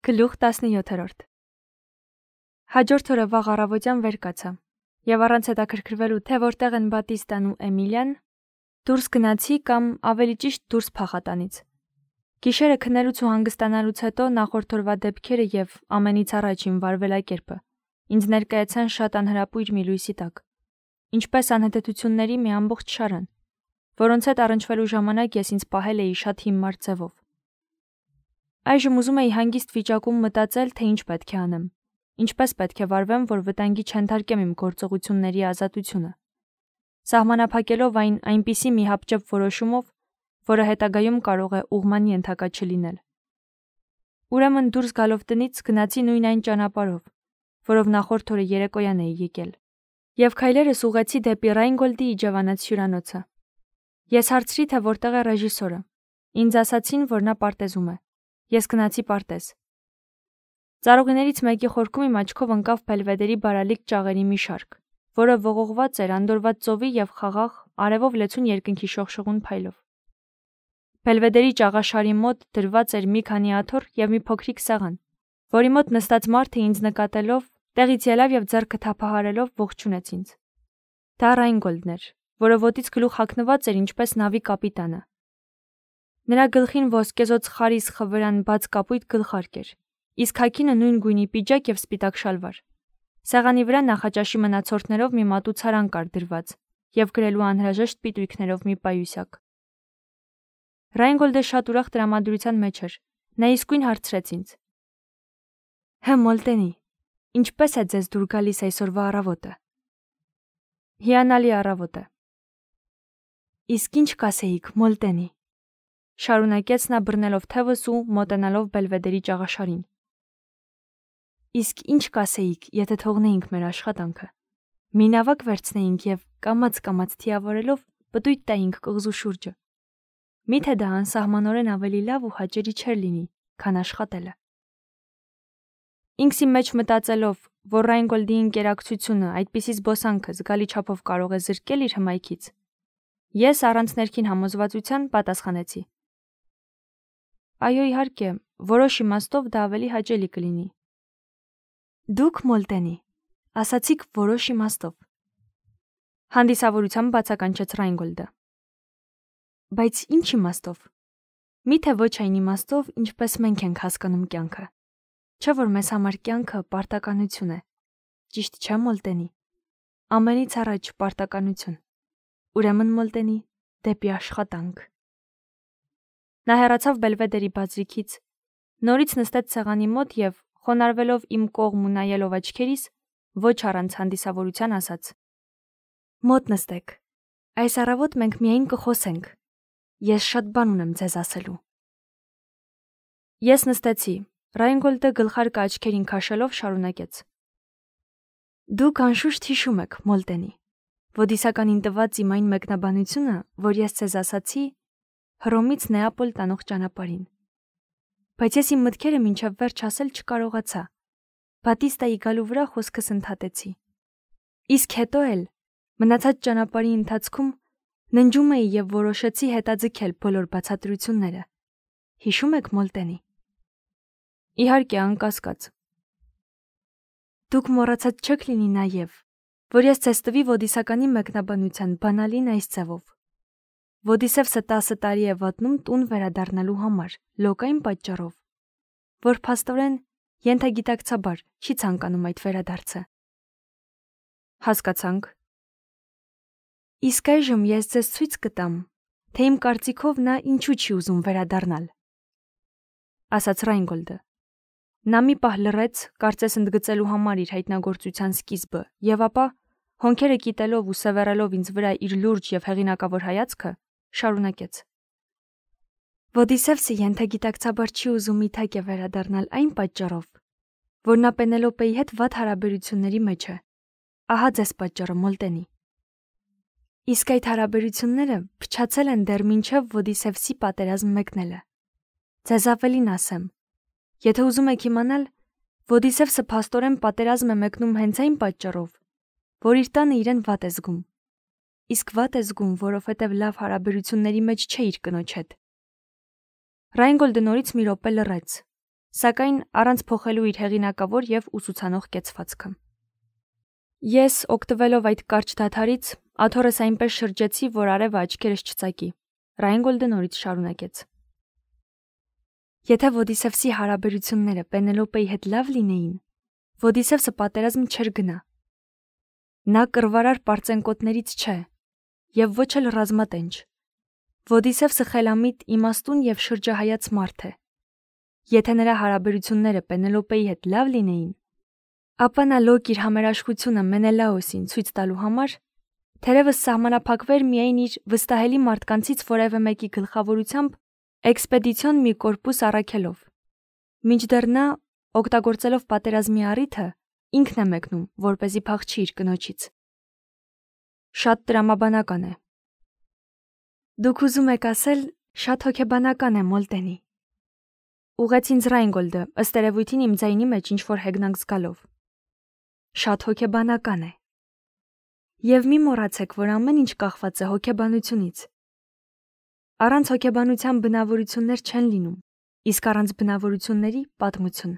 Գլուխ 17 Հաջորդ օրը վաղ առավոտյան վեր կացա, եւ առանց հետաքրքրվելու, թե որտեղ են Բատիստան ու Էմիլիան, դուրս գնացի կամ ավելի ճիշտ դուրս փախատանից։ Գիշերը քնելուց ու հանգստանալուց հետո նախորդ օրվա դեպքերը եւ ամենից առաջ իմ վարվելակերպը ինձ ներկայացան շատ անհրապույր մի լույսի տակ, ինչպես անհետեցությունների մի ամբողջ շարան, որոնց հետ առնչվելու ժամանակ ես ինձ պահել էի շատ հիմար ձևով։ Այժմ ուզում էի հանգիստ վիճակում մտածել, թե ինչ պետք է անեմ, ինչպես պետք է վարվեմ, որ վտանգի չընթարկեմ իմ գործողությունների ազատությունը, սահմանափակելով այն այնպիսի մի հապճեպ որոշումով, որը հետագայում կարող է ուղղման ենթակա չլինել։ Ուրեմն դուրս գալով տնից գնացի նույն այն ճանապարհով, որով նախորդ օրը երեկոյան էի եկել, եւ քայլերս ուղղեցի դեպի Ռայնգոլդի իջևանած հյուրանոցը։ Ես հարցրի, թե որտեղ է ռեժիսորը։ Ինձ ասացին, որ նա պարտեզում է։ Ես գնացի պարտեզ։ Ծառուղիներից մեկի խորքում իմ աչքով ընկավ Բելվեդերի բարալիկ ճաղերի մի շարք, որը ողողված էր անդորված ծովի եւ խաղաղ արևով լեցուն երկնքի շողշողուն փայլով։ Բելվեդերի ճաղաշարի մոտ դրված էր մի քանի աթոռ եւ մի փոքրիկ սեղան, որի մոտ նստած մարդը ինձ նկատելով, տեղից ելավ եւ ձեռքը թափահարելով ողջունեց ինձ։ Դա Ռայնգոլդն էր, որը ոտից գլուխ հագնված էր ինչպես նավի կապիտանը։ Նրա գլխին ոսկեզոծ խարիս խվրան բաց կապույտ գլխարկ էր, իսկ հագինը նույն գույնի պիջակ եւ սպիտակ շալվար։ Սեղանի վրա նախաճաշի մնացորդներով մի մատուցարան կար դրված եւ գրելու անհրաժեշտ պիտույքներով մի պայուսակ։ Ռայնգոլդը շատ ուրախ տրամադրության մեջ էր։ Նա իսկույն հարցրեց ինձ. «Հե Մոլտենի, ինչպես է ձեզ դուր գալիս այսօրվա առավոտը»։ Հիանալի առավոտ է։ Իսկ ինչ կասեիք, Մոլտենի, շարունակեց նա բռնելով թևս ու մոտենալով Բելվեդերի ճաղաշարին։ Իսկ ինչ կասեիք, եթե թողնեինք մեր աշխատանքը, մի նավակ վերցնեինք եւ կամաց թիավորելով պտույտ տայինք կղզու շուրջը։ Միթե դա անսահմանորեն ավելի լավ ու հաճելի չէր լինի, քան աշխատելը։ Ինքս իմ մեջ մտածելով, որ Ռայնգոլդի ինկերակցությունը այդպիսի զբոսանքը զգալի չափով կարող է զրկել իր հմայքից, ես առանց ներքին համոզվածության պատասխանեցի. Այո, իհարկե, որոշ իմաստով դա ավելի հաճելի կլինի։ Դուք, Մոլտենի, ասացիք որոշ իմաստով։ Հանդիսավորությամբ բացականչեց Ռայնգոլդը։ Բայց ինչ իմաստով։ Միթե ոչ այն իմաստով, ինչպես մենք ենք հասկանում կյանքը։ Չէ՞ որ մեզ համար կյանքը պարտականություն է։ Ճիշտ չէ, Մոլտենի։ Ամենից առաջ պարտականություն։ Ուրեմն, Մոլտենի, դեպի աշխատանք։ Նա հեռացավ Բելվեդերի բազրիքից, նորից նստեց սեղանի մոտ եւ, խոնարհվելով իմ կողմ ու նայելով աչքերիս, ոչ առանց հանդիսավորության ասաց. Մոտ նստեք։ Այս առավոտ մենք միայն կխոսենք։ Ես շատ բան ունեմ ձեզ ասելու։ Ես նստեցի։ Ռայնգոլդը գլխարկը աչքերին քաշելով շարունակեց. Դուք անշուշտ հիշում եք, Մոլտենի, Ոդիսականին տված իմ այն մեկնաբանությունը, որ ես ձեզ ասացի Հռոմից Նեապոլ տանող ճանապարհին։ Բայց ես իմ մտքերը մինչև վերջ ասել չկարողացա։ Բատիստայի գալու վրա խոսքս ընդհատեցի։ Իսկ հետո էլ մնացած ճանապարհի ընթացքում ննջում էի եւ որոշեցի հետաձգել բոլոր բացատրությունները։ Հիշում եք, Մոլտենի։ Իհարկե, անկասկած։ Դուք մոռացած չեք լինի նաեւ, որ ես ձեզ տվի Ոդիսականի մեկնաբանության բանալին այս ձևով։ Ոդիսևսը 10 տարի է վատնում տուն վերադառնալու համար, լոկային պատճառով, որ փաստորեն ենթագիտակցաբար չի ցանկանում այդ վերադարձը։ Հասկացանք։ Իսկ այժմ ես ձեզ ցույց կտամ, թե իմ կարծիքով նա ինչու չի ուզում վերադառնալ, ասաց Ռայնգոլդը։ Նա մի պահ լռեց, կարծես ընդգծելու համար իր հայտնագործության սկիզբը, եւ ապա, հոնքերը կիտելով ու սևեռելով ինձ վրա իր լուրջ եւ հեղինակավոր հայացքը, շարունակեց. Ոդիսևսը ենթագիտակցաբար չի ուզում իթակ է վերադառնալ այն պատճառով, որ նա Պենելոպեի հետ վատ հարաբերությունների մեջ է։ Ահա ձեզ պատճառը, Մոլտենի։ Իսկ այդ հարաբերությունները փչացել են դեռ մինչև Ոդիսևսի պատերազմ մեկնելը։ Ձեզ ավելին ասեմ, եթե ուզում եք իմանալ, Ոդիսևսը փաստորեն պատերազմ է մեկնում հենց այն պատճառով, որ իր տանը իրեն վատ է զգում։ Իսկ վատ է զգում, որովհետև լավ հարաբերությունների մեջ չէ իր կնոջ հետ։ Ռայնգոլդը նորից մի րոպե լռեց, սակայն առանց փոխելու իր հեղինակավոր եւ ուսուցանող կեցվածքը։ Ես, օգտվելով այդ կարճ դադարից, աթոռս այնպես շրջեցի, որ արևը աչքերս չծակի։ Ռայնգոլդը նորից շարունակեց. Եթե Ոդիսևսի հարաբերությունները Պենելոպեի հետ լավ լինեին, Ոդիսևսը պատերազմ չէր գնա։ Նա կռվարար պարծենկոտներից չէ, եւ ոչ էլ ռազմատենչ։ Ոդիսևսը խելամիտ, իմաստուն եւ շրջահայաց մարդ է։ Եթե նրա հարաբերությունները Պենելոպեի հետ լավ լինեին, ապա նա լոկ իր համերաշխությունը Մենելաոսին ցույց տալու համար թերևս սահմանափակվեր միայն իր վստահելի մարդկանցից որևէ մեկի գլխավորությամբ էքսպեդիցիոն մի կորպուս առաքելով։ Մինչդեռ նա, օգտագործելով պատերազմի առիթը, ինքն է մեկնում, որպեսզի փախչի իր կնոջից։ Շատ տրամաբանական է։ Դուք ուզում եք ասել, շատ հոգեբանական է, Մոլտենի։ Ուղեց ինձ Ռայնգոլդը, ըստ երևույթին իմ ձայնի մեջ ինչ-որ հեգնանք զգալով։ Շատ հոգեբանական է։ Եվ մի մոռացեք, որ ամեն ինչ կախված է հոգեբանությունից։ Առանց հոգեբանության բնավորություններ չեն լինում, իսկ առանց բնավորությունների պատմություն։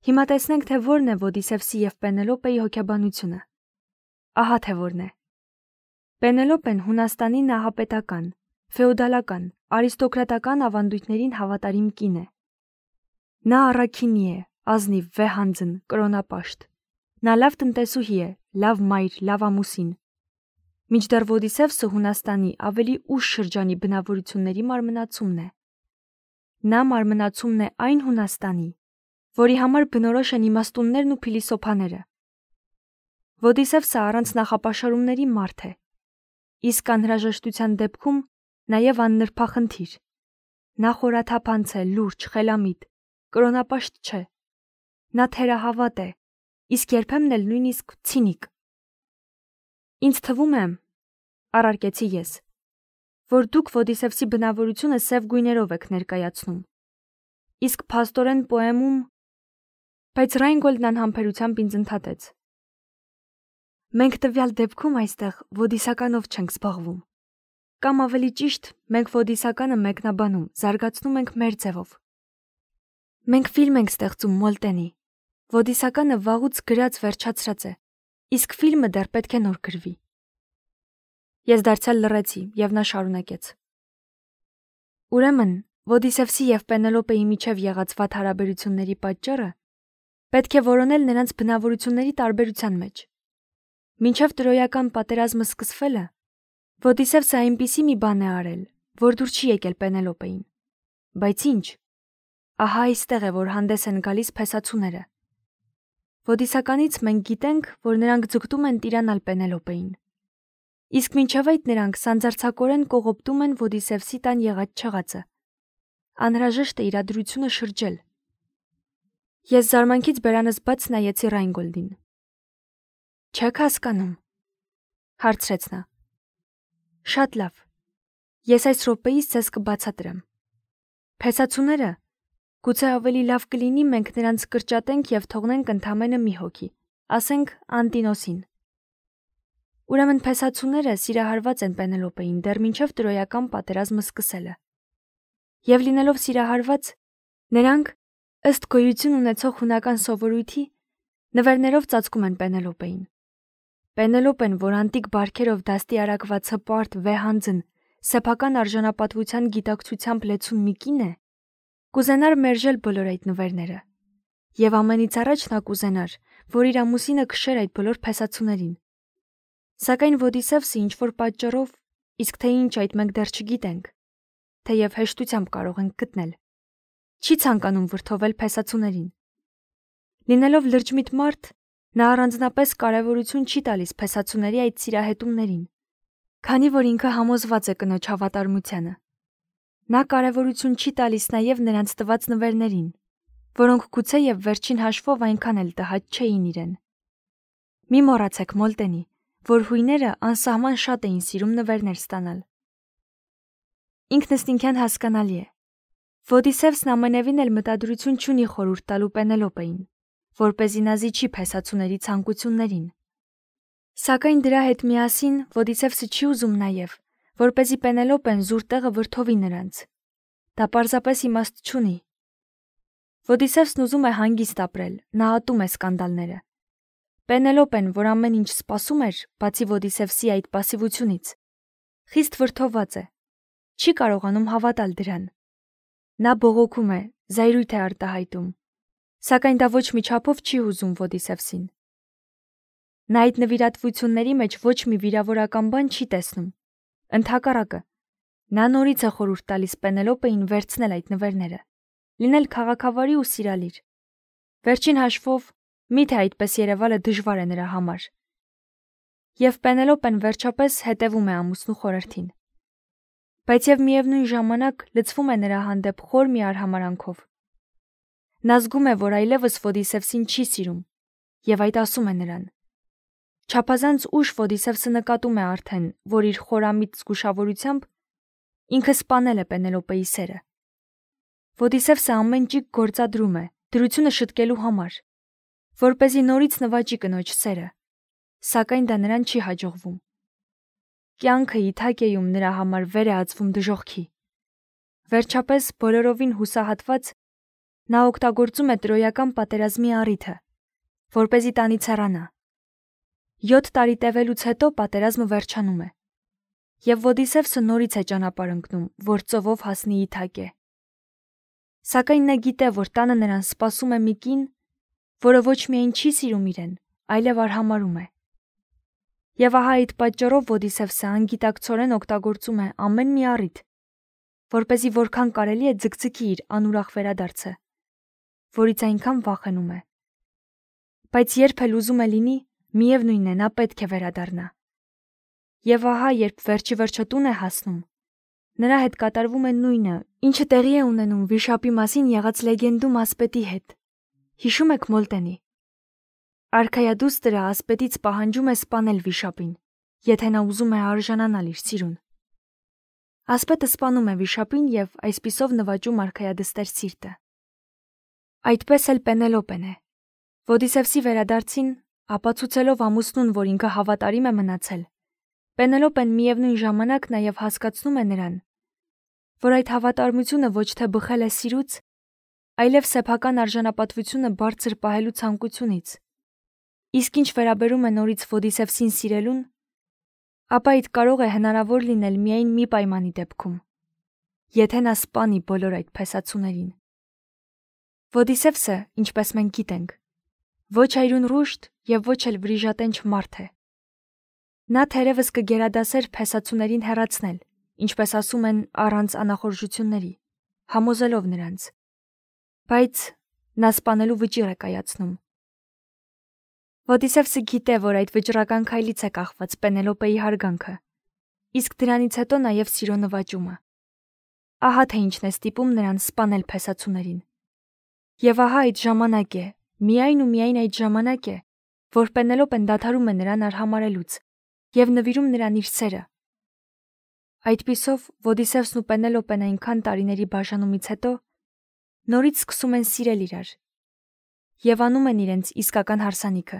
Հիմա տեսնենք, թե որն է Ոդիսևսի եւ Պենելոպեի հոգեբանությունը։ Ահա թե որն է։ Պենելոպեն Հունաստանի նահապետական, ֆեոդալական, արիստոկրատական ավանդույթներին հավատարիմ կին է։ Նա առաքինի է, ազնիվ, վեհանձն, կրոնապաշտ։ Նա լավ տնտեսուհի է, լավ մայր, լավ ամուսին։ Մինչդեռ Ոդիսևսը Հունաստանի ավելի ուշ շրջանի բնավորությունների մարմնացումն է։ Նա մարմնացումն է այն Հունաստանի, որի համար բնորոշ են իմաստուններն ու փիլիսոփաները։ Ոդիսևսը առանց նախապաշարումների մարդ է, իսկ անհրաժեշտության դեպքում նաև աննրբախնդիր։ Նա խորաթափանց է, լուրջ, խելամիտ, կրոնապաշտ չէ։ Նա թերահավատ է, իսկ երբեմն էլ նույնիսկ ցինիկ։ Ինձ թվում է, առարկեցի ես, որ դուք Ոդիսևսի բնավորությունը սև գույներով եք ներկայացնում։ Իսկ փաստորեն պոեմում, բայց Ռայնգոլդն անհամբերությամբ ինձ ընդհատեց. Մենք տվյալ դեպքում այստեղ ոդիսականով չենք զբաղվում։ Կամ ավելի ճիշտ, մենք ոդիսականը մեկնաբանում, զարգացնում ենք մեր ձևով։ Մենք ֆիլմ ենք ստեղծում, Մոլտենի։ Ոդիսականը վաղուց գրած վերջացրած է, իսկ ֆիլմը դեռ պետք է նոր գրվի։ Ես դարձյալ լռեցի, եւ նա շարունակեց. Ուրեմն, Ոդիսևսի եւ Պենելոպեի միջև եղած վատ հարաբերությունների պատճառը պետք է որոնել նրանց բնավորությունների տարբերության մեջ։ Մինչև տրոյական պատերազմը սկսվելը, Ոդիսևսը այնպիսի մի բան է արել, որ դուր չի եկել Պենելոպեին։ Բայց ինչ։ Ահա այստեղ է, որ հանդես են գալիս փեսացուները։ Ոդիսականից մենք գիտենք, որ նրանք ձգտում են տիրանալ Պենելոպեին։ Իսկ մինչև այդ նրանք սանձարձակորեն կողոպտում են Ոդիսևսի տան եղած չեղածը։ Անհրաժեշտ է իրադրությունը շրջել։ Ես զարմանքից բերանս բաց նայեցի Ռայնգոլդին։ Չեք հասկանում, հարցրեց նա։ Շատ լավ։ Ես այս րոպեից ձեզ կբացատրեմ։ Փեսացուները, գուցե ավելի լավ կլինի մենք նրանց կրճատենք եւ թողնենք ընդամենը մի հոգի, ասենք Անտինոսին։ Ուրեմն փեսացուները սիրահարված են Պենելոպեին դեռ մինչև տրոյական պատերազմը սկսելը։ Եվ լինելով սիրահարված, նրանք, ըստ գոյություն ունեցող հունական սովորույթի, նվերներով ծածկում են Պենելոպեին։ Պենելոպեն, որ անտիկ բարքերով դաստի արակված հպարտ, վեհանձն, սեփական արժանապատվության գիտակցությամբ լեցուն մի կին է, կուզենար մերժել բոլոր այդ նվերները։ Եվ ամենից առաջ նա կուզենար, որ իր ամուսինը քշեր այդ բոլոր փեսացուներին։ Սակայն Ոդիսևսը ինչ-որ պատճառով, իսկ թե ինչ այդ մենք դեռ չգիտենք, թեև հեշտությամբ կարող ենք գտնել, չի ցանկանում վրդովել փեսացուներին։ Լինելով լրջմիտ մարդ, նա առանձնապես կարևորություն չի տալիս փեսացուների այդ սիրահետումներին, քանի որ ինքը համոզված է կնոջ հավատարմությանը։ Նա կարևորություն չի տալիս նաև նրանց տված նվերներին, որոնք գուցե եւ վերջին հաշվով այնքան էլ տհաճ չէին իրեն։ Մի մոռացեք, Մոլտենի, որ հույները անսահման շատ էին սիրում նվերներ ստանալ։ Ինքնըստինքյան հասկանալի է։ Ոդիսևսն ամենևին էլ մտադրություն չունի խորհուրդ տալու Պենելոպեին, որպեսզի նա զիջի փեսացուների ցանկություններին։ Սակայն դրա հետ միասին Ոդիսևսը չի ուզում նաև, որպեսզի Պենելոպեն զուր տեղը վրդովի նրանց։ Դա պարզապես իմաստ չունի։ Ոդիսևսն ուզում է հանգիստ ապրել, նա ատում է սկանդալները։ Պենելոպեն, որ ամեն ինչ սպասում էր, բացի Ոդիսևսի այդ պասիվությունից, խիստ վրդովված է, չի կարողանում հավատալ դրան։ Նա բողոքում է, զայրույթ է արտահայտում, սակայն դա ոչ մի չափով չի հուզում Ոդիսևսին։ Նա այդ նվիրատվությունների մեջ ոչ մի վիրավորական բան չի տեսնում։ Ընդհակառակը, նա նորից է խորհուրդ տալիս Պենելոպեին վերցնել այդ նվերները, լինել քաղաքավարի ու սիրալիր։ Վերջին հաշվով, միթե այդպես երևալը դժվար է նրա համար։ Եվ Պենելոպեն վերջապես հետևում է ամուսնու խորհրդին։ Բայց եւ միևնույն ժամանակ լցվում է նրա հանդեպ խոր մի արհամարանքով։ Նա զգում է, որ այլևս Ոդիսևսին չի սիրում, եւ այդ ասում է նրան։ Չափազանց ուշ Ոդիսևսը նկատում է արդեն, որ իր խորամիտ զգուշավորությամբ ինքը սպանել է Պենելոպեի սերը։ Ոդիսևսը ամեն ճիգ գործադրում է, դրությունը շտկելու համար, որպեսզի նորից նվաճի կնոջ սերը, սակայն դա նրան չի հաջողվում։ Կյանքը Իթակեյում նրա համար վեր է ածվում դժոխքի։ Վերջապես, բոլորովին հուսահատված, նա օգտագործում է տրոյական պատերազմի առիթը, որպեսզի տանից հեռանա։ 7 տարի տևելուց հետո պատերազմը վերջանում է, եւ Ոդիսևսը նորից է ճանապարհ ընկնում, որ ծովով հասնի Իթակե։ Սակայն նա գիտե, որ տանը նրան սպասում է մի կին, որը ոչ միայն չի սիրում իրեն, այլև արհամարհում է։ Եվ ահա այդ պատճառով Ոդիսևսը անգիտակցորեն օգտագործում է ամեն մի առիթ, որպեսզի որքան կարելի է ձգձգի իր անուրախ վերադարձը, որից այնքան վախենում է։ Բայց երբ էլ ուզում է լինի, միևնույնն է, նա պետք է վերադառնա։ Եվ ահա, երբ վերջի վերջո տուն է հասնում, նրա հետ կատարվում է նույնը, ինչը տեղի է ունենում վիշապի մասին եղած լեգենդում ասպետի հետ։ Հիշում եք Մոլտենի։ Արքայադուստրը ասպետից պահանջում է սպանել վիշապին, եթե նա ուզում է արժանանալ իր սիրուն։ Ասպետը սպանում է վիշապին եւ այսպիսով նվաճում արքայադստեր սիրտը։ Այդպես էլ Պենելոպեն է։ Ոդիսևսի վերադարձին, ապացուցելով ամուսնուն, որ ինքը հավատարիմ է մնացել, Պենելոպեն միևնույն ժամանակ նաեւ հասկացնում է նրան, որ այդ հավատարմությունը ոչ թե բխել է սիրուց, այլև սեփական արժանապատվությունը բարձր պահելու ցանկությունից։ Իսկ ինչ վերաբերում է նորից Ոդիսևսին սիրելուն, ապա այդ կարող է հնարավոր լինել միայն մի պայմանի դեպքում, եթե նա սպանի բոլոր այդ փեսացուներին։ Ոդիսևսը, ինչպես մենք գիտենք, ոչ այրուն ռուշտ եւ ոչ էլ վրիժատենչ մարդ է։ Նա թերևս կգերադասեր փեսացուներին հեռացնել, ինչպես ասում են, առանց անախորժությունների, համոզելով նրանց։ Բայց նա սպանելու վճիռ է կայացնում։ Ոդիսևսը գիտե, որ այդ վճռական քայլից է կախված Պենելոպեի հարգանքը, իսկ դրանից հետո նաև սիրո նվաճումը։ Ահա թե ինչն է ստիպում նրան սպանել փեսացուներին։ Եվ ահա այդ ժամանակ է, միայն ու միայն այդ ժամանակ է, որ Պենելոպեն դադարում է նրան արհամարհելուց եւ նվիրում նրան իր սերը։ Այդպիսով Ոդիսևսն ու Պենելոպեն այնքան տարիների բաժանումից հետո նորից սկսում են սիրել իրար եւ անում են իրենց իսկական հարսանիքը,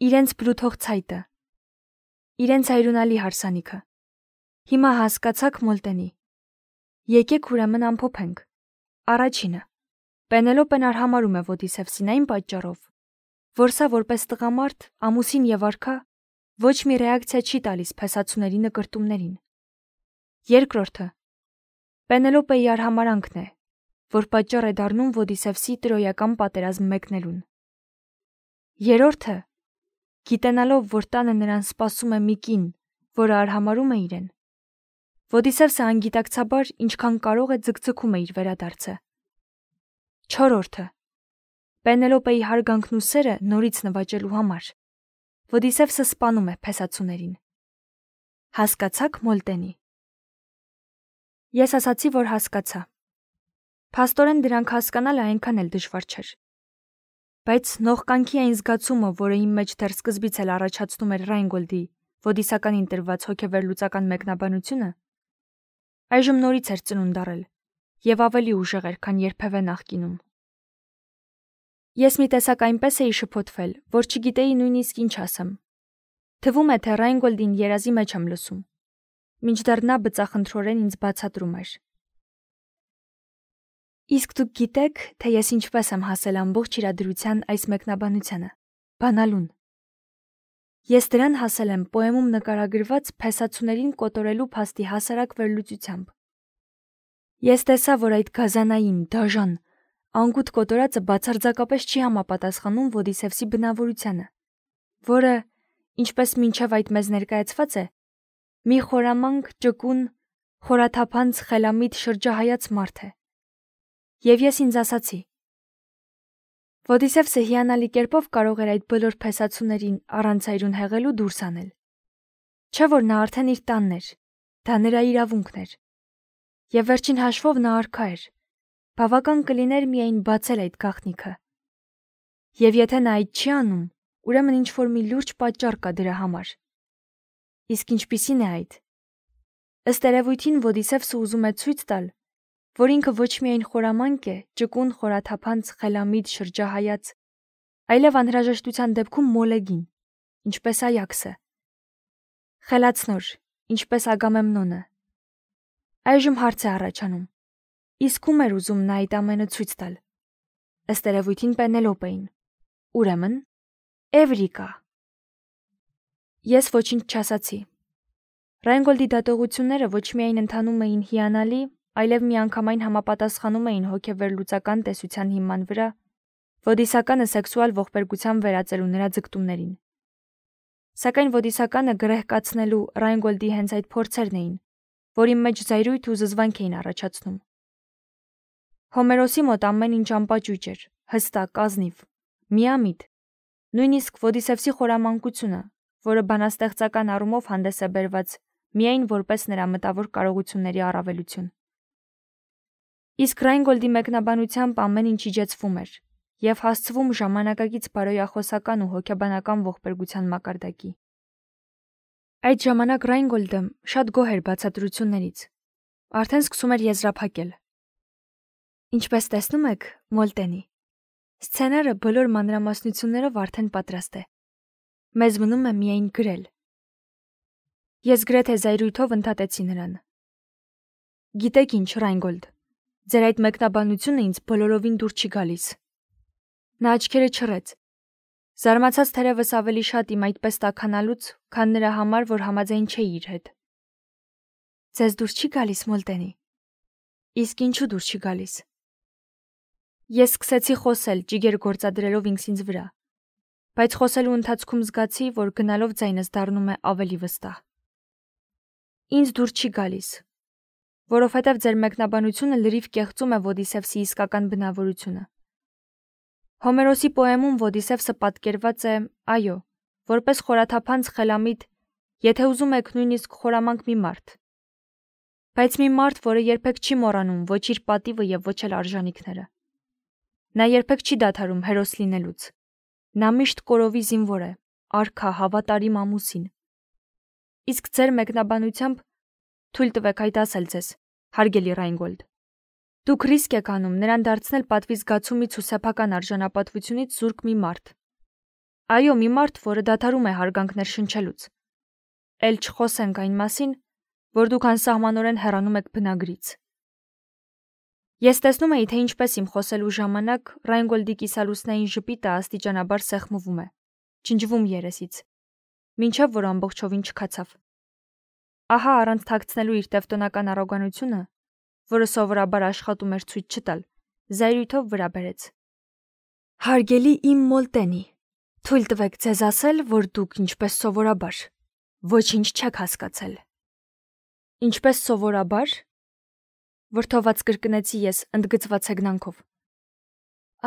իրենց բլութող ցայտը, իրենց այրունալի հարսանիքը։ Հիմա հասկացաք Մոլտենի։ Եկեք ուրեմն ամփոփենք։ Առաջինը. Պենելոպեն արհամարհում է Ոդիսևսին այն պատճառով, որ սա որպես տղամարդ, ամուսին եւ արքա ոչ մի ռեակցիա չի տալիս փեսացուների նկրտումներին։ Երկրորդը. Պենելոպեի արհամարանքն է, որ պատճառ է դառնում Ոդիսևսի տրոյական պատերազմ մեկնելուն։ Երրորդը. գիտենալով, որ տանը նրան սպասում է մի կին, որը արհամարհում է իրեն, Ոդիսևսը անգիտակցաբար ինչքան կարող է ձգձգում է իր վերադարձը։ Չորրորդը. Պենելոպեի հարգանքն ու սերը նորից նվաճելու համար Ոդիսևսը սպանում է փեսացուներին։ Հասկացաք Մոլտենի։ Ես ասացի, որ հասկացա։ Փաստորեն դրանք հասկանալը այնքան էլ դժվար չէր։ Բայց նողկանքի այն զգացումը, որը իմ մեջ դեռ սկզբից էլ առաջացնում էր Ռայնգոլդի Ոդիսականին տրված հոգեվերլուծական մեկնաբանությունը, այժմ նորից էր ծնունդ առել եւ ավելի ուժեղ էր, քան երբևէ նախկինում։ Ես մի տեսակ այնպես էի շփոթվել, որ չգիտեի նույնիսկ ինչ ասեմ։ Թվում է, թե Ռայնգոլդին երազի մեջ եմ լսում, մինչդեռ նա բծախնդրորեն ինձ բացատրում էր։ Իսկ դուք գիտեք, թե ես ինչպես եմ հասել ամբողջ իրադրության այս մեկնաբանությանը, բանալուն։ Ես դրան հասել եմ պոեմում նկարագրված փեսացուներին կոտորելու փաստի հասարակ վերլուծությամբ։ Ես տեսա, որ այդ գազանային, դաժան, անգութ կոտորածը բացարձակապես չի համապատասխանում Ոդիսևսի բնավորությանը, որը, ինչպես մինչև այդ մեզ ներկայացված է, մի խորամանկ, ճկուն, խորաթափանց, խելամիտ շրջահայաց մարդ է։ Եվ ես ինձ ասացի. Ոդիսևսը հիանալի կերպով կարող էր այդ բոլոր փեսացուներին առանց այրուն հեղելու դուրս անել։ Չէ՞ որ նա արդեն իր տանն էր, դա նրա իրավունքն էր։ Եվ վերջին հաշվով նա արքա էր, բավական կլիներ միայն բացել այդ գաղտնիքը։ Եվ եթե նա այդ չի անում, ուրեմն ինչ-որ մի լուրջ պատճառ կա դրա համար։ Իսկ ինչպիսին է այդ։ Ըստ երևույթին Ոդիսևսը ուզում է ցույց տալ, որ ինքը ոչ միայն խորամանկ է, ճկուն, խորաթափանց, խելամիտ, շրջահայաց, այլև անհրաժեշտության դեպքում մոլեգին, ինչպես Այաքսը, խելացնոր, ինչպես Ագամեմնոնը։ Այժմ հարց է առաջանում. իսկ ում էր ուզում նա այդ ամենը ցույց տալ։ Ըստ երևույթին Պենելոպեին։ Ուրեմն Էվրիկա։ Ես ոչինչ չասացի։ Ռայնգոլդի դատողությունները ոչ միայն ընթանում էին հիանալի, այլև միանգամայն համապատասխանում էին հոգեվերլուծական տեսության հիման վրա Ոդիսականը սեքսուալ ողբերգության վերածելու նրա ձգտումներին։ Սակայն Ոդիսականը գրեհկացնելու Ռայնգոլդի հենց այդ փորձերն էին, որի մեջ զայրույթ ու զզվանք էին առաջացնում։ Հոմերոսի մոտ ամեն ինչ անպաճույճ էր, հստակ, ազնիվ, միամիտ, նույնիսկ Ոդիսևսի խորամանկությունը, որը բանաստեղծական առումով հանդես է բերված միայն որպես նրա մտավոր կարողությունների առավելություն։ Իսկ Ռայնգոլդի մեկնաբանությամբ ամեն ինչ իջեցվում էր և հասցվում ժամանակակից բարոյախոսական ու հոգեբանական ողբերգության մակարդակի։ Այդ ժամանակ Ռայնգոլդը շատ գոհ էր բացատրություններից, արդեն սկսում էր եզրափակել։ Ինչպես տեսնում եք, Մոլտենի, սցենարը բոլոր մանրամասնություններով արդեն պատրաստ է։ Մեզ մնում է միայն գրել։ Ես գրեթե զայրույթով ընդհատեցի նրան։ Գիտեք ինչ, Ռայնգոլդ, ձեր այդ մեկնաբանությունը ինձ բոլորովին դուր չի գալիս։ Նա աչքերը չռեց։ Զարմացած թերևս ավելի շատ իմ այդպես տաքանալուց, քան նրա համար, որ համաձայն չէի իր հետ։ Ձեզ դուր չի գալիս, Մոլտենի։ Իսկ ինչու դուր չի գալիս։ Ես սկսեցի խոսել, ջիգեր գործադրելով ինքս ինձ վրա, բայց խոսելու ընթացքում զգացի, որ գնալով ձայնս դառնում է ավելի վստահ։ Ինձ դուր չի գալիս, որովհետև ձեր մեկնաբանությունը լրիվ կեղծում է Ոդիսևսի իսկական բնավորությունը։ Հոմերոսի պոեմում Ոդիսևսը պատկերված է, այո, որպես խորաթափանց խելամիտ, եթե ուզում եք նույնիսկ խորամանկ մի մարդ։ Բայց մի մարդ, որը երբեք չի մոռանում ոչ իր պատիվը և ոչ էլ արժանիքները։ Նա երբեք չի դադարում հերոս լինելուց։ Նա միշտ կորովի զինվոր է, արքա, հավատարիմ ամուսին։ Իսկ ձեր մեկնաբանությամբ թույլ տվեք այդ ասել ձեզ, հարգելի Ռայնգոլդ։ Դուք ռիսկ եք անում նրան դարձնել պատվի զգացումից ու սեփական արժանապատվությունից զուրկ մի մարդ։ Այո, մի մարդ, որը դադարում է հարգանքներ շնչելուց։ Էլ չխոսենք այն մասին, որ դուք անսահմանորեն հեռանում եք բնագրից։ Ես տեսնում էի, թե ինչպես իմ խոսելու ժամանակ Ռայնգոլդի կիսալուսնային ժպիտը աստիճանաբար սեղմվում է, ջնջվում երեսից, մինչև որ ամբողջովին չքացավ։ Ահա առանց թաքցնելու իր տևտոնական առոգանությունը, որը սովորաբար աշխատում էր ցույց չտալ, զայրույթով վրա բերեց։ Հարգելի իմ Մոլտենի, թույլ տվեք ձեզ ասել, որ դուք ինչպես սովորաբար ոչինչ չեք հասկացել։ Ինչպես սովորաբար, վրդոված կրկնեցի ես ընդգծված հեգնանքով։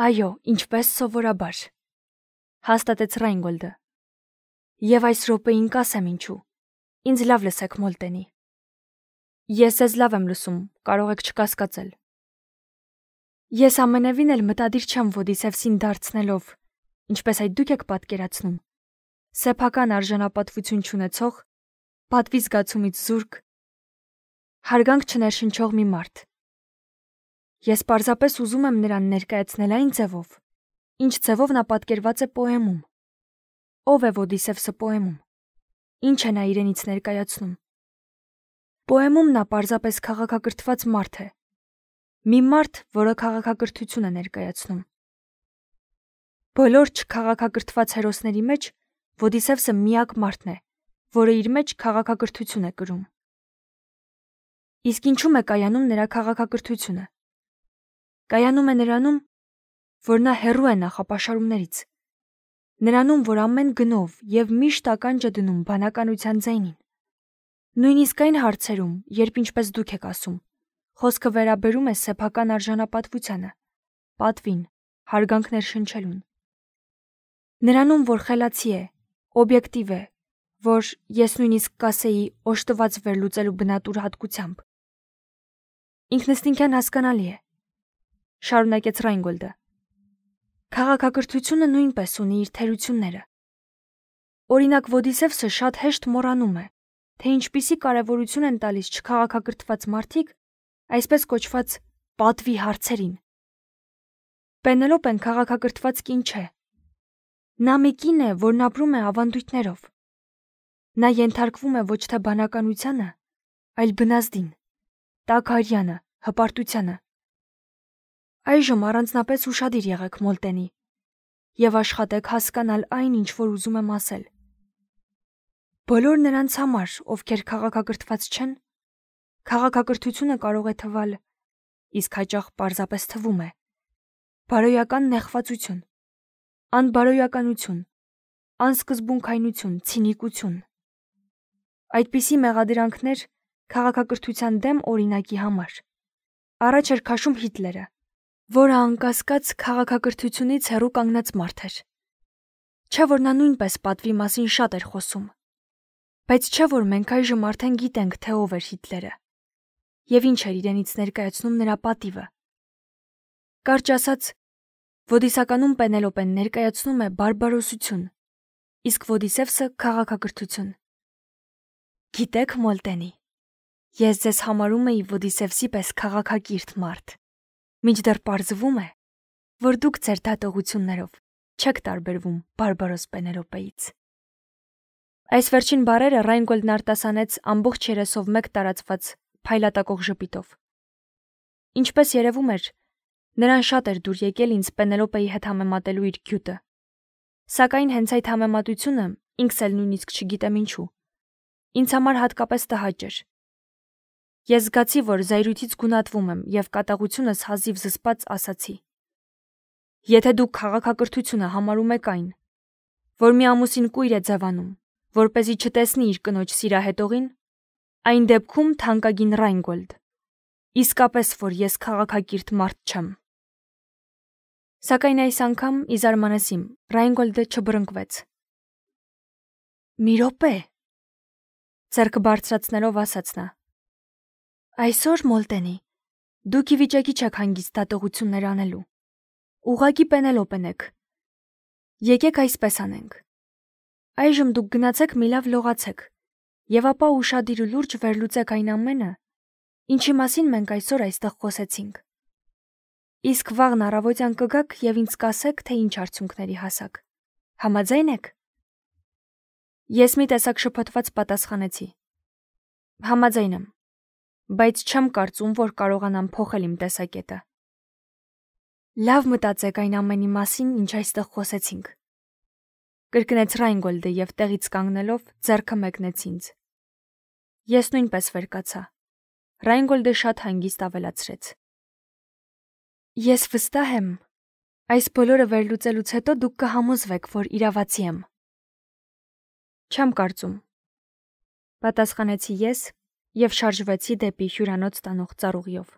Այո, ինչպես սովորաբար, հաստատեց Ռայնգոլդը։ Եվ այս րոպեին կասեմ ինչու։ Ինձ լավ լսեք, Մոլտենի։ Ես ձեզ լավ եմ լսում, կարող եք չկասկածել։ Ես ամենևին էլ մտադիր չեմ Ոդիսևսին դարձնելով, ինչպես այդ դուք եք պատկերացնում, սեփական արժանապատվություն չունեցող, պատվի զգացումից զուրկ, հարգանք չներշնչող մի մարդ։ Ես պարզապես ուզում եմ նրան ներկայացնել այն ձևով, ինչ ձևով նա պատկերված է պոեմում։ Ով է Ոդիսևսը պոեմում։ Ինչ է նա իրենից ներկայացնում։ Պոեմում նա պարզապես քաղաքակրթված մարդ է։ Մի մարդ, որը քաղաքակրթություն է ներկայացնում։ Բոլոր չքաղաքակրթված հերոսների մեջ Ոդիսևսը միակ մարդն է, որը իր մեջ քաղաքակրթություն է կրում։ Իսկ ինչու՞մ է կայանում նրա քաղաքակրթությունը։ Կայանում է նրանում, որ նա հեռու է նախապաշարումներից, նրանում, որ ամեն գնով և միշտ ականջ է դնում բանականության ձայնին։ Նույնիսկ այն հարցերում, երբ ինչպես դուք եք ասում, խոսքը վերաբերում է սեփական արժանապատվությանը, պատվին, հարգանքներ շնչելուն։ Նրանում, որ խելացի է, օբյեկտիվ է, որ ես նույնիսկ կասեի օժտված վերլուծելու բնատուր հատկությամբ։ Ինքնըստինքյան հասկանալի է, շարունակեց Ռայնգոլդը։ Քաղաքակրթությունը նույնպես ունի իր թերությունները։ Օրինակ Ոդիսևսը շատ հեշտ մոռանում է, թե ինչպիսի կարևորություն են տալիս չքաղաքակրթված մարդիկ այսպես կոչված պատվի հարցերին։ Պենելոպեն քաղաքակրթված կին չէ։ Նա մի կին է, որն ապրում է ավանդույթներով։ Նա ենթարկվում է ոչ թե բանականությանը, այլ բնազդին, տաքարյանը, հպարտությանը։ Այժմ առանձնապես ուշադիր եղեք Մոլտենի և աշխատեք հասկանալ այն, ինչ որ ուզում եմ ասել։ Բոլոր նրանց համար, ովքեր քաղաքակրթված չեն, քաղաքակրթությունը կարող է թվալ, իսկ հաճախ պարզապես թվում է, բարոյական նեղվածություն, անբարոյականություն, անսկզբունքայնություն, ցինիկություն։ Այդպիսի մեղադրանքներ քաղաքակրթության դեմ օրինակի համար առաջ էր քաշում Հիտլերը, որը անկասկած քաղաքակրթությունից հեռու կանգնած մարդ էր։ Չէ՞ որ նա նույնպես պատվի մասին շատ էր խոսում։ Բայց չէ՞ որ մենք այժմ արդեն գիտենք, թե ով էր Հիտլերը և ինչ էր իրենից ներկայացնում նրա պատիվը։ Կարճ ասած, Ոդիսականում Պենելոպեն ներկայացնում է բարբարոսություն, իսկ Ոդիսևսը քաղաքակրթություն։ Գիտեք, Մոլտենի, ես ձեզ համարում էի Ոդիսևսի պես քաղաքակիրթ մարդ, մինչդեռ պարզվում է, որ դուք ձեր դատողություններով չեք տարբերվում բարբարոս Պենելոպեից։ Այս վերջին բառերը Ռայնգոլդն արտասանեց ամբողջ երեսով մեկ տարածված փայլատակող ժպիտով։ Ինչպես երևում էր, նրան շատ էր դուր եկել ինձ Պենելոպեի հետ համեմատելու իր գյուտը։ Սակայն հենց այդ համեմատությունը, ինքս էլ նույնիսկ չգիտեմ ինչու, ինձ համար հատկապես տհաճ էր։ Ես զգացի, որ զայրույթից գունատվում եմ և կատաղությունս հազիվ զսպած ասացի. Եթե դուք քաղաքակրթությունը համարում եք այն, որ մի ամուսին կույր է ձևանում, որպեսզի չտեսնի իր կնոջ սիրահետողին, այն դեպքում թանկագին Ռայնգոլդ, իսկապես որ ես քաղաքակիրթ մարդ չեմ։ Սակայն այս անգամ, ի զարմանս իմ, Ռայնգոլդը չբռնկվեց։ Մի րոպե, ձեռքը բարձրացնելով ասաց նա։ Այսօր, Մոլտենի, դուք ի վիճակի չեք հանգիստ դատողություններ անելու։ Ուղղակի Պենելոպեն եք։ Եկեք այսպես անենք։ Այժմ դուք գնացեք մի լավ լողացեք, և ապա ուշադիր ու լուրջ վերլուծեք այն ամենը, ինչի մասին մենք այսօր այստեղ խոսեցինք։ Իսկ վաղն առավոտյան կգաք և ինձ կասեք, թե ինչ արդյունքների հասաք։ Համաձայն եք։ Ես մի տեսակ շփոթված պատասխանեցի. Համաձայն եմ, բայց չեմ կարծում, որ կարողանամ փոխել իմ տեսակետը։ Լավ մտածեք այն ամենի մասին, ինչ այստեղ խոսեցինք։ Կրկնեց Ռայնգոլդը և տեղից կանգնելով ձեռքը մեկնեց ինձ։ Ես նույնպես վեր կացա։ Ռայնգոլդը շատ հանգիստ ավելացրեց. Ես վստահ եմ, այս բոլորը վերլուծելուց հետո դուք կհամոզվեք, որ իրավացի եմ։ Չեմ կարծում, պատասխանեցի ես և շարժվեցի դեպի հյուրանոց տանող ծառուղիով։